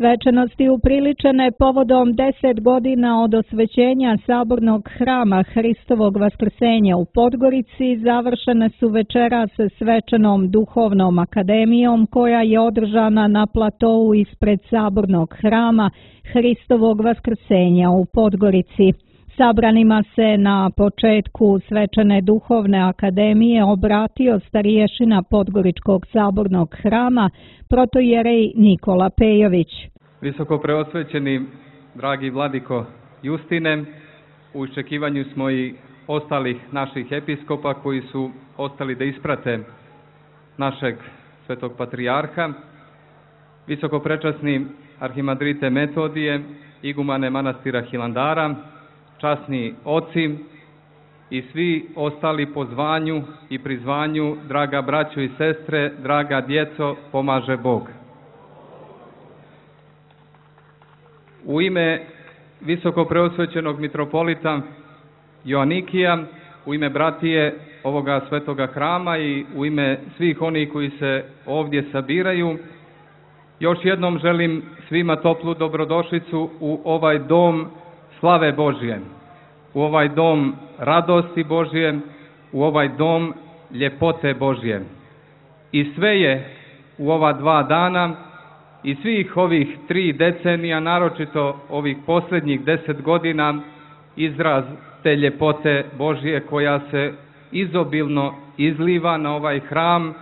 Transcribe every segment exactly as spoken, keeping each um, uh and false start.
Svečanosti upriličene povodom deset godina od osvećenja Sabornog hrama Hristovog vaskrsenja u Podgorici završene su večeras svečanom duhovnom akademijom koja je održana na platou ispred Sabornog hrama Hristovog vaskrsenja u Podgorici. Sabranima se na početku svečane duhovne akademije obratio starješina Podgoričkog sabornog hrama, protojerej Nikola Pejović. Visoko preosvećeni, dragi vladiko Justine, u iščekivanju smo i ostalih naših episkopa koji su ostali da isprate našeg svetog patrijarha, visoko prečasni arhimandrite Metodije, igumane manastira Hilandara, časni oci i svi ostali po zvanju i prizvanju, draga braćo i sestre, draga djeco, pomaže Bog. U ime visoko preosvećenog mitropolita Joanikija, u ime bratije ovoga svetoga hrama i u ime svih onih koji se ovdje sabiraju, još jednom želim svima toplu dobrodošlicu u ovaj dom slave Božje, u ovaj dom radosti Božje, u ovaj dom ljepote Božje. I sve je u ova dva dana i svih ovih tri decenija, naročito ovih posljednjih deset godina, izraz te ljepote Božje koja se izobilno izliva na ovaj hram,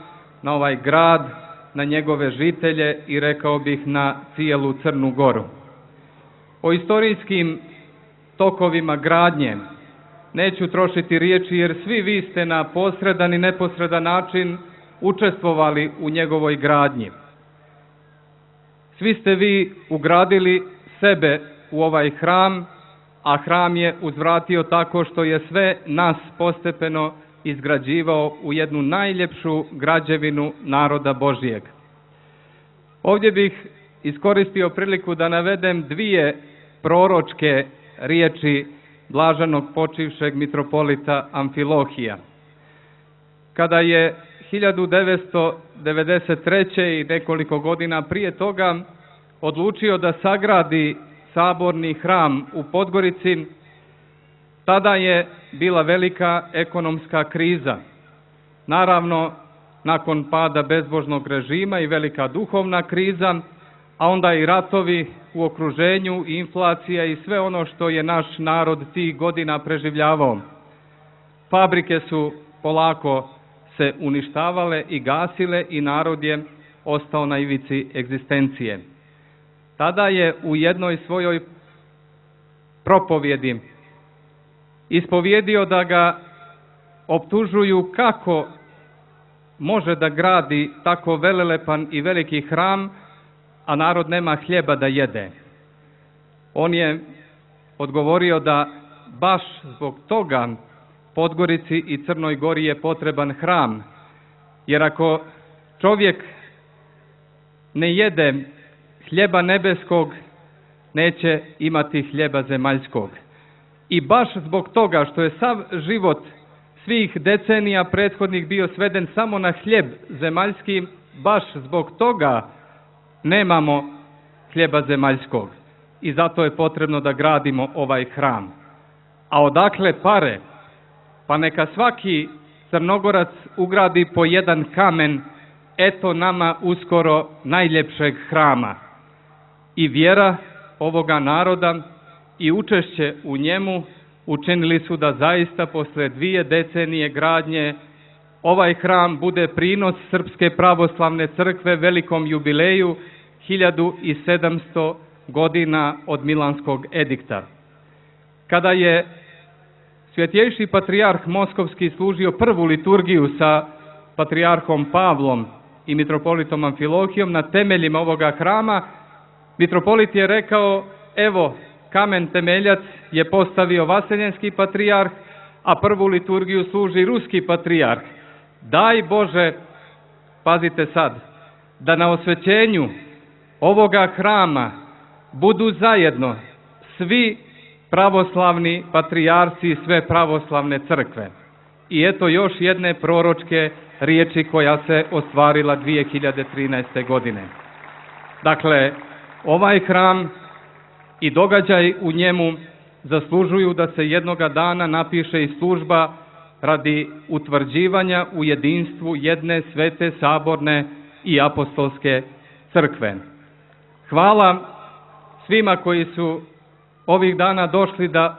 na ovaj grad, na njegove žitelje i rekao bih na cijelu Crnu Goru. O istorijskim tokovima gradnje neću trošiti riječi jer svi vi ste na posredan i neposredan način učestvovali u njegovoj gradnji. Svi ste vi ugradili sebe u ovaj hram, a hram je uzvratio tako što je sve nas postepeno izgrađivao u jednu najljepšu građevinu naroda Božijeg. Ovdje bih iskoristio priliku da navedem dvije proročke riječi blaženog počivšeg mitropolita Amfilohija. Kada je hiljadu devetsto devedeset treće. i nekoliko godina prije toga odlučio da sagradi saborni hram u Podgorici, tada je bila velika ekonomska kriza. Naravno, nakon pada bezbožnog režima i velika duhovna kriza, a onda i ratovi u okruženju, i inflacija i sve ono što je naš narod tih godina preživljavao. Fabrike su polako se uništavale i gasile i narod je ostao na ivici egzistencije. Tada je u jednoj svojoj propovjedi ispovjedio da ga optužuju kako može da gradi tako velelepan i veliki hram, a narod nema hljeba da jede. On je odgovorio da baš zbog toga Podgorici i Crnoj Gori je potreban hram, jer ako čovjek ne jede hljeba nebeskog, neće imati hljeba zemaljskog. I baš zbog toga što je sav život svih decenija prethodnih bio sveden samo na hljeb zemaljski, baš zbog toga nemamo hljeba zemaljskog. I zato je potrebno da gradimo ovaj hram. A odakle pare? Pa neka svaki Crnogorac ugradi po jedan kamen, eto nama uskoro najljepšeg hrama. I vjera ovoga naroda i učešće u njemu učinili su da zaista posle dvije decenije gradnje ovaj hram bude prinos Srpske pravoslavne crkve velikom jubileju hiljadu sedamsto godina od Milanskog edikta. Kada je Svjetjejši patrijarh Moskovski služio prvu liturgiju sa patrijarhom Pavlom i mitropolitom Amfilohijom na temeljima ovoga hrama, mitropolit je rekao, evo, kamen temeljac je postavio vaseljenski patrijarh, a prvu liturgiju služi ruski patrijarh. Daj Bože, pazite sad, da na osvećenju ovoga hrama budu zajedno svi pravoslavni patrijarci i sve pravoslavne crkve. I eto još jedne proročke riječi koja se ostvarila dvije hiljade trinaeste. godine. Dakle, Ovaj hram i događaj u njemu zaslužuju da se jednoga dana napiše i služba radi utvrđivanja u jedinstvu jedne svete saborne i apostolske crkve. Hvala svima koji su ovih dana došli da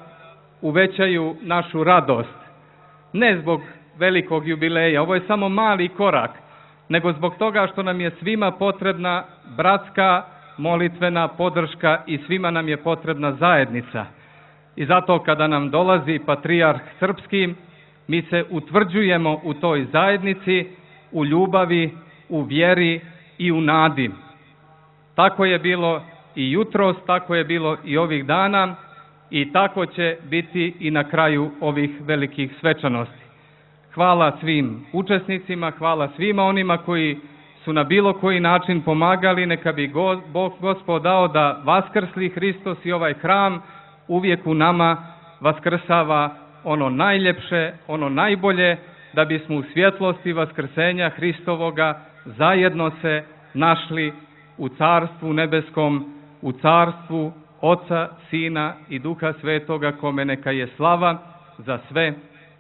uvećaju našu radost. Ne zbog velikog jubileja, ovo je samo mali korak, nego zbog toga što nam je svima potrebna bratska molitvena podrška i svima nam je potrebna zajednica. I zato kada nam dolazi patrijarh srpski, mi se utvrđujemo u toj zajednici, u ljubavi, u vjeri i u nadi. Tako je bilo i jutros, tako je bilo i ovih dana i tako će biti i na kraju ovih velikih svečanosti. Hvala svim učesnicima, hvala svima onima koji su na bilo koji način pomagali, neka bi Bog Gospod dao da vaskrsli Hristos i ovaj hram uvijek u nama vaskrsava ono najljepše, ono najbolje, da bismo u svjetlosti vaskrsenja Hristovoga zajedno se našli u Carstvu nebeskom, u Carstvu Oca, Sina i Duha Svetoga, kome neka je slava za sve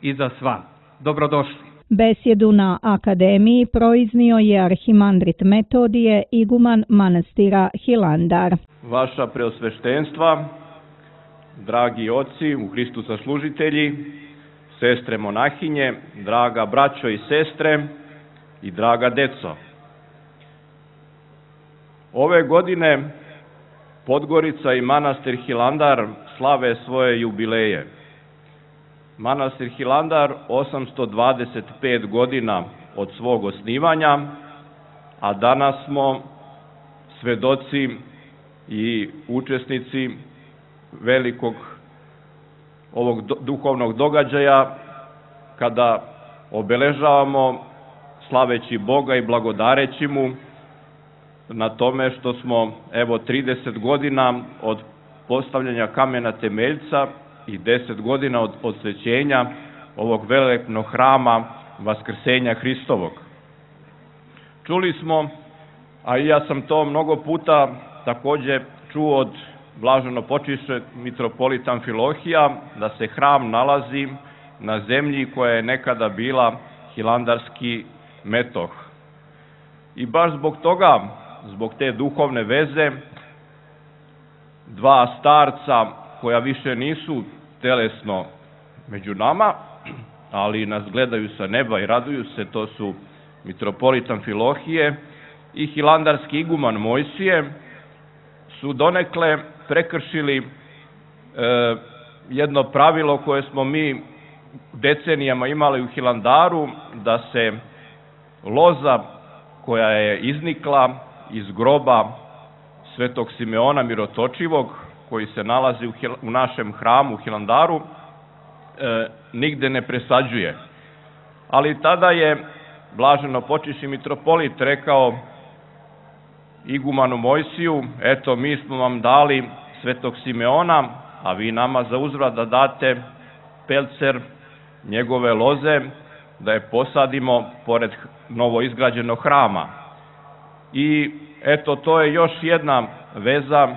i za sva. Dobrodošli. Besjedu na akademiji proiznio je arhimandrit Metodije, iguman manastira Hilandar. Vaša preosveštenstva, dragi oci u Hristu zaslužitelji, sestre monahinje, draga braćo i sestre i draga deco. Ove godine Podgorica i manastir Hilandar slave svoje jubileje. Manastir Hilandar osamsto dvadeset pet godina od svog osnivanja, a danas smo svedoci i učesnici velikog ovog duhovnog događaja kada obeležavamo slaveći Boga i blagodareći mu na tome što smo evo trideset godina od postavljanja kamena temeljca i deset godina od posvećenja ovog velikog hrama Vaskrsenja Hristovog. Čuli smo, a i ja sam to mnogo puta takođe čuo od blaženo počišće mitropolita Amfilohija, da se hram nalazi na zemlji koja je nekada bila hilandarski metoh. I baš zbog toga, zbog te duhovne veze, dva starca koja više nisu telesno među nama, ali nas gledaju sa neba i raduju se, to su mitropolit Amfilohije i hilandarski iguman Mojsije, su donekle prekršili e, jedno pravilo koje smo mi decenijama imali u Hilandaru, da se loza koja je iznikla iz groba Svetog Simeona Mirotočivog, koji se nalazi u, u našem hramu u Hilandaru, e, nigde ne presađuje. Ali tada je blaženo počišći mitropolit rekao igumanu Mojsiju, eto mi smo vam dali Svetog Simeona, a vi nama za uzvrat da date pelcer njegove loze, da je posadimo pored novo izgrađenog hrama. I eto, to je još jedna veza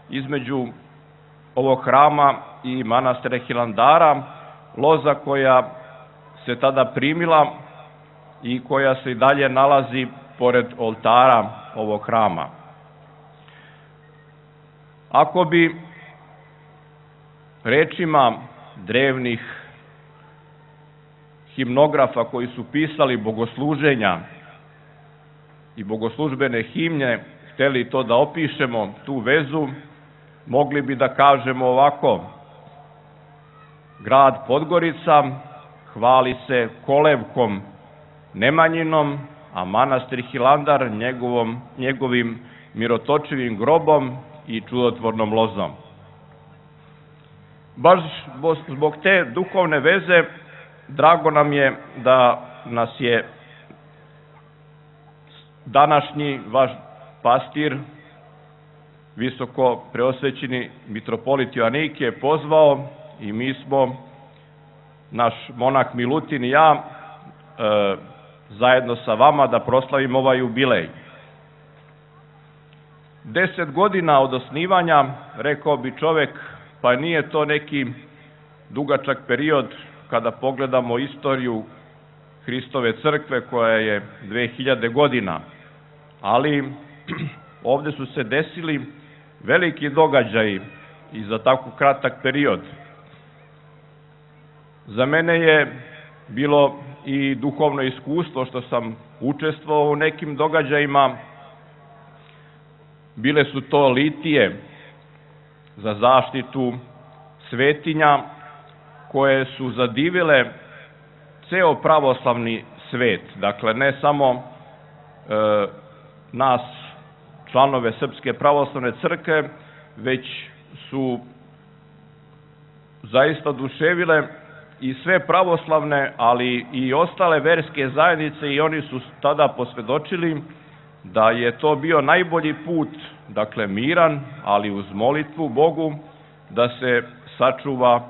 između ovog hrama i manastira Hilandara, loza koja se tada primila i koja se i dalje nalazi pored oltara ovog hrama. Ako bi rečima drevnih himnografa koji su pisali bogosluženja i bogoslužbene himne hteli to da opišemo, tu vezu, mogli bi da kažemo ovako: grad Podgorica hvali se kolevkom Nemanjinom, a manastir Hilandar njegovom, njegovim mirotočivim grobom i čudotvornom lozom. Baš zbog te duhovne veze drago nam je da nas je današnji vaš pastir, visoko preosvećeni mitropolit Joanikije, pozvao i mi smo, naš monah Milutin i ja, e, zajedno sa vama da proslavimo ovaj jubilej. Deset godina od osnivanja, rekao bi čovek, pa nije to neki dugačak period kada pogledamo istoriju Hristove crkve koja je dve hiljade godina, ali ovde su se desili veliki događaji i za tako kratak period. Za mene je bilo i duhovno iskustvo što sam učestvovao u nekim događajima. Bile su to litije za zaštitu svetinja koje su zadivile ceo pravoslavni svet. Dakle, ne samo e, nas, članove Srpske pravoslavne crkve, već su zaista oduševile i sve pravoslavne, ali i ostale verske zajednice, i oni su tada posvedočili da je to bio najbolji put, dakle miran, ali uz molitvu Bogu, da se sačuva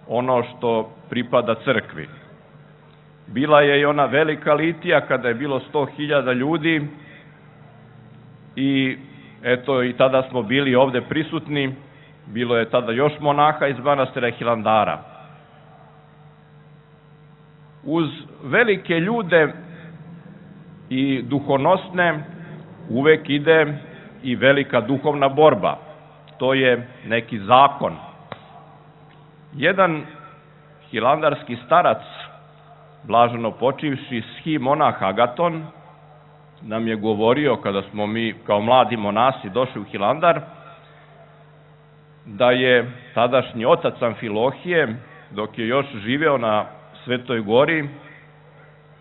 ono što pripada crkvi. Bila je i ona velika litija kada je bilo sto hiljada ljudi i eto i tada smo bili ovde prisutni, bilo je tada još monaha iz manastira Hilandara. Uz velike ljude i duhonosne uvek ide i velika duhovna borba. To je neki zakon. Jedan hilandarski starac, blaženo počivši schi monah Agaton, nam je govorio kada smo mi kao mladi monasi došli u Hilandar, da je tadašnji otac Amfilohije, dok je još živeo na Svetoj gori,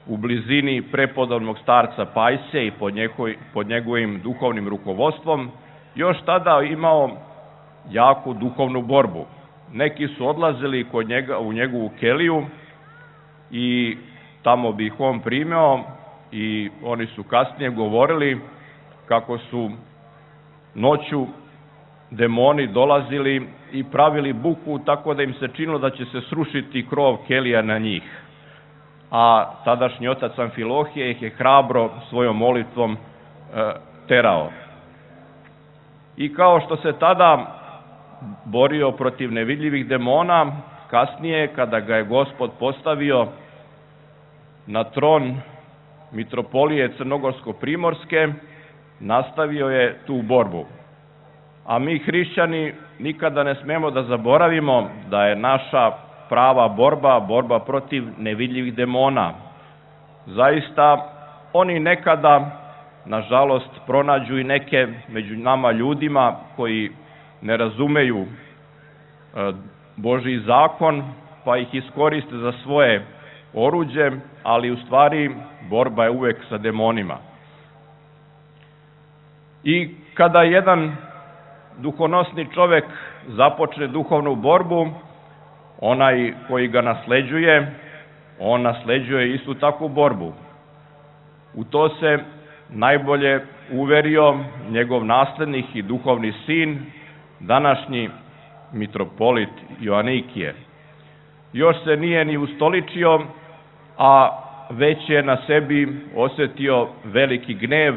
u blizini prepodobnog starca Pajse i pod, njegov, pod njegovim duhovnim rukovodstvom, još tada imao jaku duhovnu borbu. Neki su odlazili kod njega, u njegovu keliju i tamo bi ih on primeo i oni su kasnije govorili kako su noću demoni dolazili i pravili buku tako da im se činilo da će se srušiti krov kelija na njih. A tadašnji otac Amfilohije ih je hrabro svojom molitvom e, terao. I kao što se tada borio protiv nevidljivih demona, kasnije kada ga je Gospod postavio na tron mitropolije Crnogorsko-Primorske, nastavio je tu borbu. A mi hrišćani nikada ne smemo da zaboravimo da je naša prava borba, borba protiv nevidljivih demona. Zaista, oni nekada, nažalost, pronađu i neke među nama ljudima koji ne razumeju Božji zakon, pa ih iskoriste za svoje oruđe, ali u stvari borba je uvek sa demonima. I kada jedan duhonosni čovek započne duhovnu borbu, onaj koji ga nasleđuje, on nasleđuje istu takvu borbu. U to se najbolje uverio njegov naslednik i duhovni sin, današnji mitropolit Joanikije. Još se nije ni ustoličio, a već je na sebi osetio veliki gnev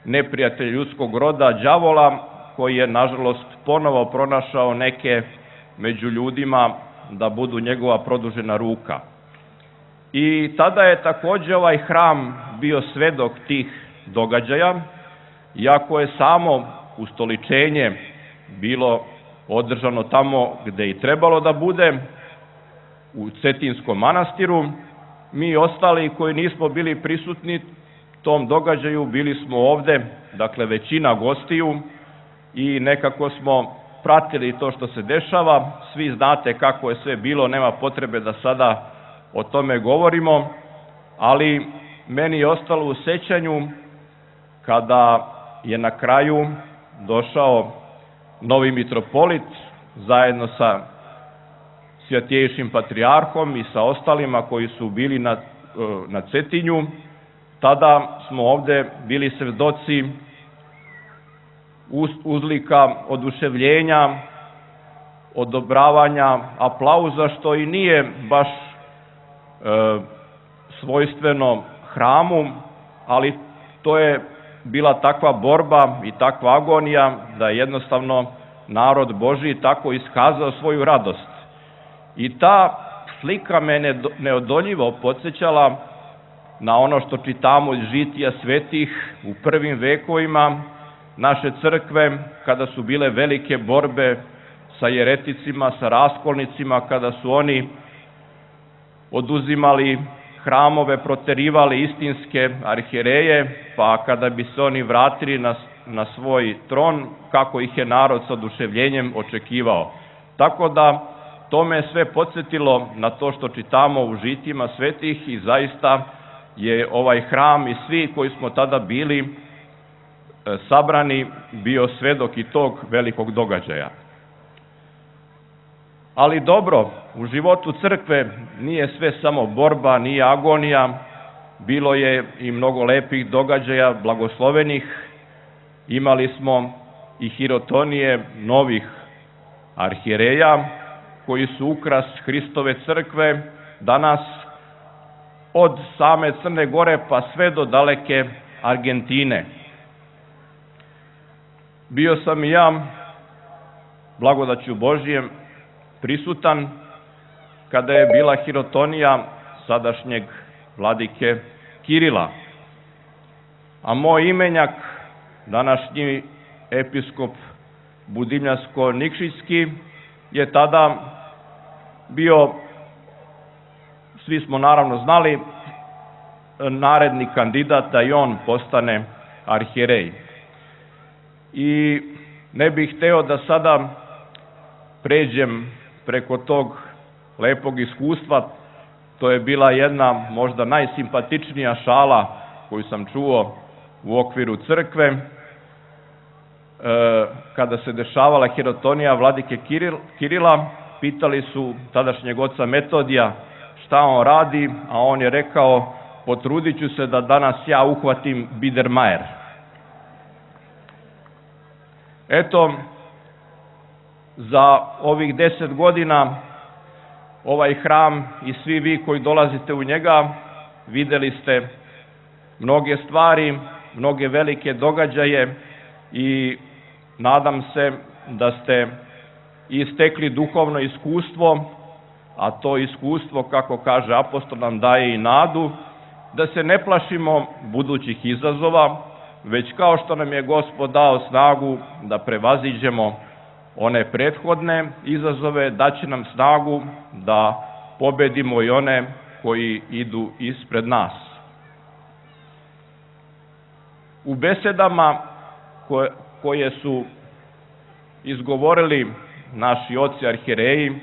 neprijatelja ljudskog roda, đavola, koji je, nažalost, ponovo pronašao neke među ljudima da budu njegova produžena ruka. I tada je takođe ovaj hram bio svedok tih događaja, iako je samo ustoličenje bilo održano tamo gde i trebalo da bude, u Cetinskom manastiru. Mi ostali koji nismo bili prisutni tom događaju, bili smo ovde, dakle većina gostiju, i nekako smo pratili to što se dešava. Svi znate kako je sve bilo, nema potrebe da sada o tome govorimo, ali meni je ostalo u sećanju kada je na kraju došao novi mitropolit zajedno sa Svjatejšim patrijarhom i sa ostalima koji su bili na, na Cetinju. Tada smo ovde bili svedoci uzlika oduševljenja, odobravanja, aplauza, što i nije baš e, svojstveno hramu, ali to je bila takva borba i takva agonija da je jednostavno narod Božji tako iskazao svoju radost. I ta slika me neodoljivo podsjećala na ono što čitamo iz žitija svetih u prvim vekovima naše crkve, kada su bile velike borbe sa jereticima, sa raskolnicima, kada su oni oduzimali hramove, proterivali istinske arhijereje, pa kada bi se oni vratili na, na svoj tron, kako ih je narod sa oduševljenjem očekivao. Tako da to me sve podsjetilo na to što čitamo u žitijima svetih i zaista je ovaj hram i svi koji smo tada bili sabrani bio svedok i tog velikog događaja. Ali dobro, u životu crkve nije sve samo borba, nije agonija, bilo je i mnogo lepih događaja, blagoslovenih. Imali smo i hirotonije novih arhijereja koji su ukras Hristove crkve danas od same Crne Gore pa sve do daleke Argentine. Bio sam i ja, blagodaću Božjem, prisutan kada je bila hirotonija sadašnjeg vladike Kirila. A moj imenjak, današnji episkop Budimljansko-Nikšićski, je tada bio, svi smo naravno znali, naredni kandidat da i on postane arhijerej. I ne bih hteo da sada pređem preko tog lepog iskustva. To je bila jedna možda najsimpatičnija šala koju sam čuo u okviru crkve. Kada se dešavala hirotonija vladike Kirila, pitali su tadašnjeg oca Metodija šta on radi, a on je rekao: potrudit ću se da danas ja uhvatim Biedermeier. Eto, za ovih deset godina ovaj hram i svi vi koji dolazite u njega videli ste mnoge stvari, mnoge velike događaje i nadam se da ste istekli duhovno iskustvo, a to iskustvo, kako kaže apostol, nam daje i nadu da se ne plašimo budućih izazova, već kao što nam je Gospod dao snagu da prevaziđemo one prethodne izazove, daće nam snagu da pobedimo i one koji idu ispred nas. U besedama koje, koje su izgovorili naši oci arhijereji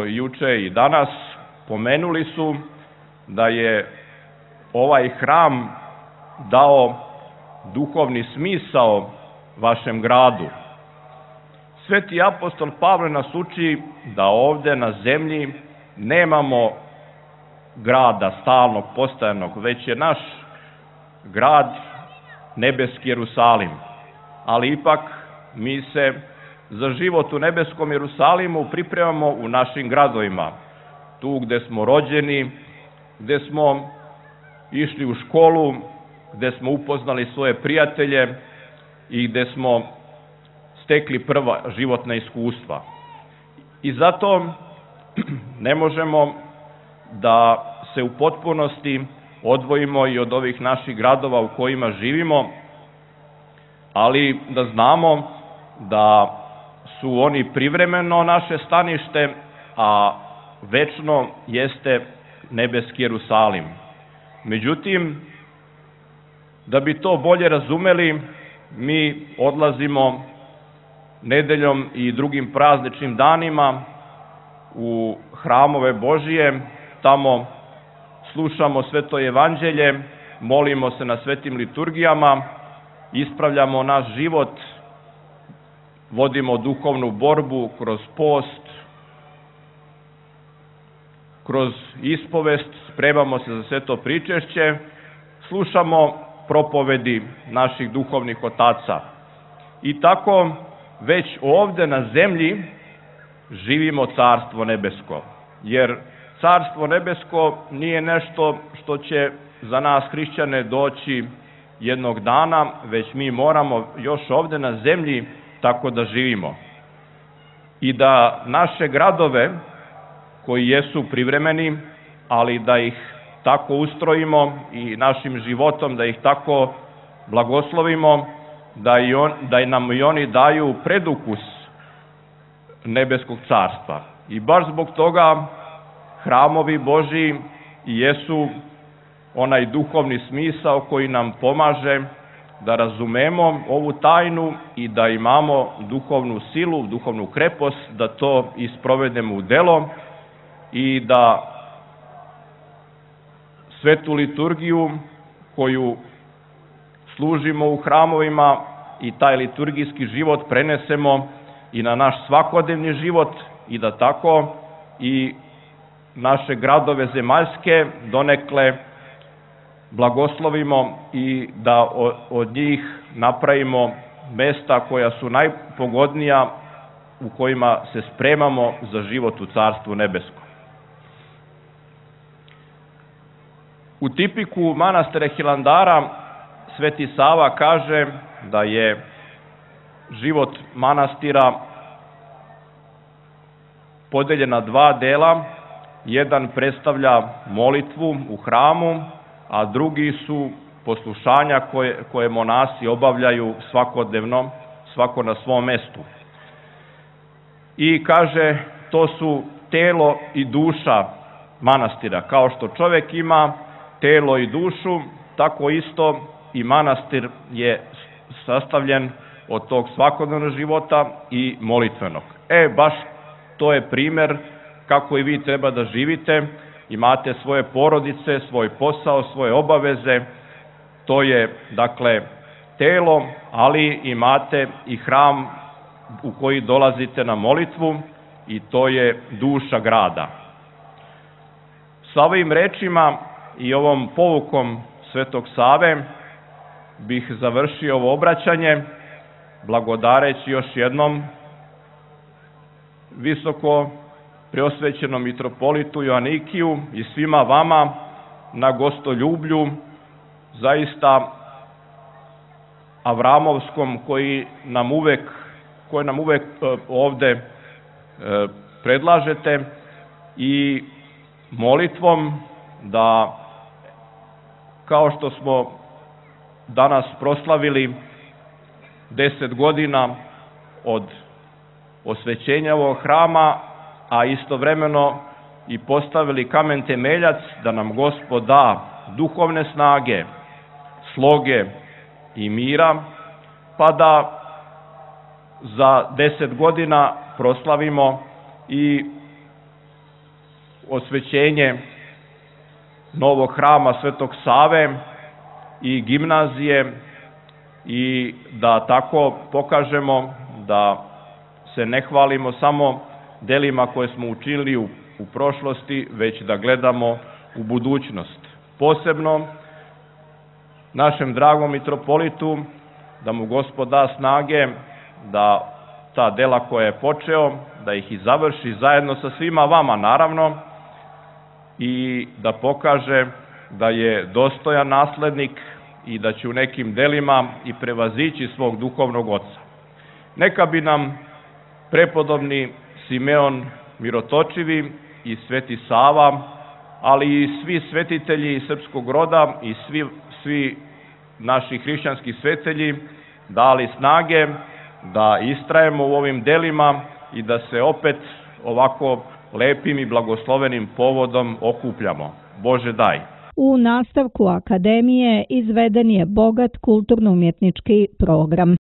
juče i danas, pomenuli su da je ovaj hram dao duhovni smisao vašem gradu. Sveti apostol Pavle nas uči da ovde na zemlji nemamo grada stalnog, postojanog, već je naš grad nebeski Jerusalim. Ali ipak mi se za život u nebeskom Jerusalimu pripremamo u našim gradovima. Tu gde smo rođeni, gde smo išli u školu, gde smo upoznali svoje prijatelje i gde smo stekli prva životna iskustva. I zato ne možemo da se u potpunosti odvojimo i od ovih naših gradova u kojima živimo, ali da znamo da su oni privremeno naše stanište, a večno jeste nebeski Jerusalim. Međutim, da bi to bolje razumeli, mi odlazimo nedeljom i drugim prazničnim danima u hramove Božije, tamo slušamo sveto evanđelje, molimo se na svetim liturgijama, ispravljamo naš život, vodimo duhovnu borbu kroz post, kroz ispovest, spremamo se za sveto pričešće, slušamo propovedi naših duhovnih otaca. I tako već ovde na zemlji živimo carstvo nebesko, jer carstvo nebesko nije nešto što će za nas hrišćane doći jednog dana, već mi moramo još ovde na zemlji tako da živimo. I da naše gradove, koji jesu privremeni, ali da ih tako ustrojimo i našim životom, da ih tako blagoslovimo, da, i on, da nam i oni daju predukus nebeskog carstva. I baš zbog toga hramovi Božji jesu onaj duhovni smisao koji nam pomaže da razumemo ovu tajnu i da imamo duhovnu silu, duhovnu krepost, da to isprovedemo u delo i da svetu liturgiju koju služimo u hramovima i taj liturgijski život prenesemo i na naš svakodnevni život i da tako i naše gradove zemaljske donekle blagoslovimo i da od njih napravimo mesta koja su najpogodnija u kojima se spremamo za život u Carstvu nebeskom. U tipiku manastira Hilandara Sveti Sava kaže da je život manastira podeljen na dva dela. Jedan predstavlja molitvu u hramu, a drugi su poslušanja koje, koje monasi obavljaju svakodnevno, svako na svom mestu. I kaže, to su telo i duša manastira. Kao što čovek ima telo i dušu, tako isto i manastir je sastavljen od tog svakodnevnog života i molitvenog. E, baš to je primer kako i vi treba da živite, imate svoje porodice, svoj posao, svoje obaveze, to je, dakle, telo, ali imate i hram u koji dolazite na molitvu i to je duša grada. Sa ovim rečima i ovom povukom Svetog Save bih završio ovo obraćanje, blagodareći još jednom visoko preosvećenom mitropolitu Joanikiju i svima vama na gostoljublju, zaista avramovskom, koji nam uvek, koji nam uvek ovde predlažete, i molitvom da, kao što smo danas proslavili deset godina od osvećenja ovog hrama, a istovremeno i postavili kamen temeljac, da nam Gospod da duhovne snage, sloge i mira, pa da za deset godina proslavimo i osvećenje novog hrama Svetog Save i gimnazije i da tako pokažemo da se ne hvalimo samo delima koje smo učinili u, u prošlosti, već da gledamo u budućnost. Posebno našem dragom mitropolitu, da mu Gospod da snage da ta dela koje je počeo, da ih i završi zajedno sa svima vama, naravno, i da pokaže da je dostojan naslednik i da će u nekim delima i prevazići svog duhovnog oca. Neka bi nam prepodobni Simeon Mirotočivi i Sveti Sava, ali i svi svetitelji srpskog roda i svi, svi naši hrišćanski svetelji dali snage da istrajemo u ovim delima i da se opet ovako lepim i blagoslovenim povodom okupljamo. Bože daj! U nastavku akademije izveden je bogat kulturno-umjetnički program.